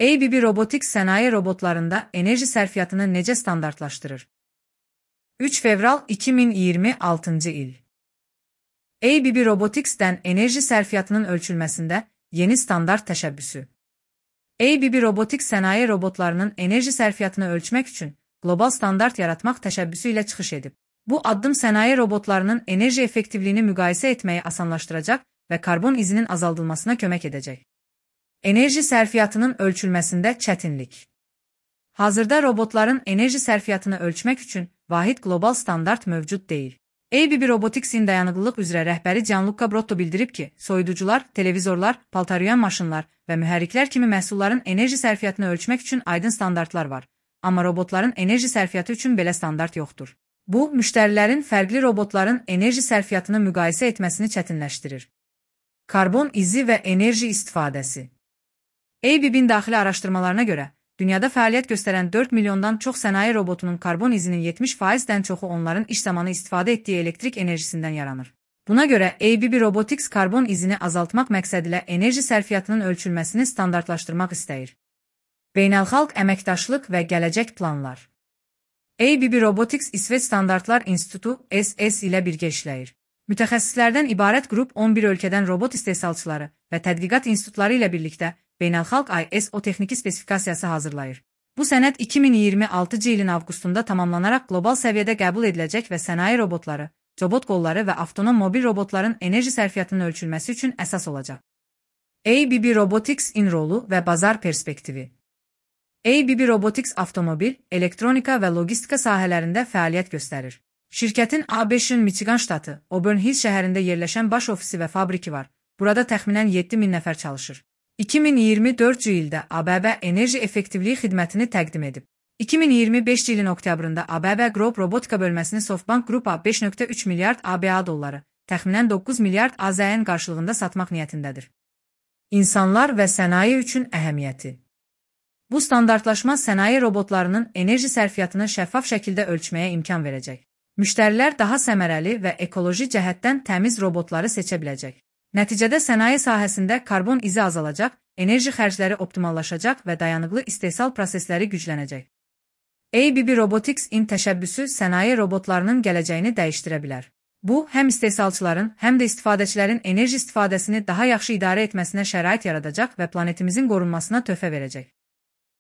ABB Robotics sənaye robotlarında enerji sərfiyyatını necə standartlaşdırır? 3 fevral 2026 il. ABB Robotics'dən enerji sərfiyyatının ölçülməsində yeni standart təşəbbüsü. ABB Robotics sənaye robotlarının enerji sərfiyyatını ölçmək üçün qlobal standart yaratmaq təşəbbüsü ilə çıxış edib. Bu addım sənaye robotlarının enerji effektivliyini müqayisə etməyi asanlaşdıracaq və karbon izinin azaldılmasına kömək edəcək. Enerji sərfiyyatının ölçülməsində çətinlik. Hazırda robotların enerji sərfiyyatını ölçmək üçün vahid qlobal standart mövcud deyil. ABB Robotics'in dayanıqlılıq üzrə rəhbəri Gianluca Brotto bildirib ki, soyuducular, televizorlar, paltaryuyan maşınlar və mühərriklər kimi məhsulların enerji sərfiyyatını ölçmək üçün aydın standartlar var. Amma robotların enerji sərfiyyatı üçün belə standart yoxdur. Bu, müştərilərin fərqli robotların enerji sərfiyyatını müqayisə etməsini çətinləşdirir. Karbon izi və enerji istifadəsi. ABB-in daxili araşdırmalarına görə, dünyada fəaliyyət göstərən 4 milyondan çox sənaye robotunun karbon izinin 70%-dən çoxu onların iş zamanı istifadə etdiyi elektrik enerjisindən yaranır. Buna görə ABB Robotics karbon izini azaltmaq məqsədilə enerji sərfiyyatının ölçülməsini standartlaşdırmaq istəyir. Beynəlxalq əməkdaşlıq və gələcək planlar. ABB Robotics İsveç Standartlar İnstitutu SS ilə birgə işləyir. Mütəxəssislərdən ibarət qrup 11 ölkədən robot istehsalçıları və tədqiqat institutları ilə birlikdə beynəlxalq ISO texniki spesifikasiyası hazırlayır. Bu sənəd 2026 ilin avqustunda tamamlanaraq qlobal səviyyədə qəbul ediləcək və sənaye robotları, robot qolları və avtonom mobil robotların enerji sərfiyyatının ölçülməsi üçün əsas olacaq. ABB Robotics-in rolu və bazar perspektivi. ABB Robotics avtomobil, elektronika və logistika sahələrində fəaliyyət göstərir. Şirkətin ABŞ-ın Michigan ştatı, Auburn Hills şəhərində yerləşən baş ofisi və fabriki var. Burada təxminən 7000 nəfər çalışır. 2024 ildə ABB enerji effektivliyi xidmətini təqdim edib. 2025 ilin oktyabrında ABB Group robotika bölməsini SoftBank Group-a 5.3 milyard ABA dolları, təxminən 9 milyard AZN qarşılığında satmaq niyyətindədir. İnsanlar və sənaye üçün əhəmiyyəti. Bu standartlaşma sənaye robotlarının enerji sərfiyyatını şəffaf şəkildə ölçməyə imkan verəcək. Müştərilər daha səmərəli və ekoloji cəhətdən təmiz robotları seçə biləcək. Nəticədə sənaye sahəsində karbon izi azalacaq, enerji xərcləri optimallaşacaq və dayanıqlı istehsal prosesləri güclənəcək. ABB Robotics-in təşəbbüsü sənaye robotlarının gələcəyini dəyişdirə bilər. Bu, həm istehsalçıların, həm də istifadəçilərin enerji istifadəsini daha yaxşı idarə etməsinə şərait yaradacaq və planetimizin qorunmasına töhfə verəcək.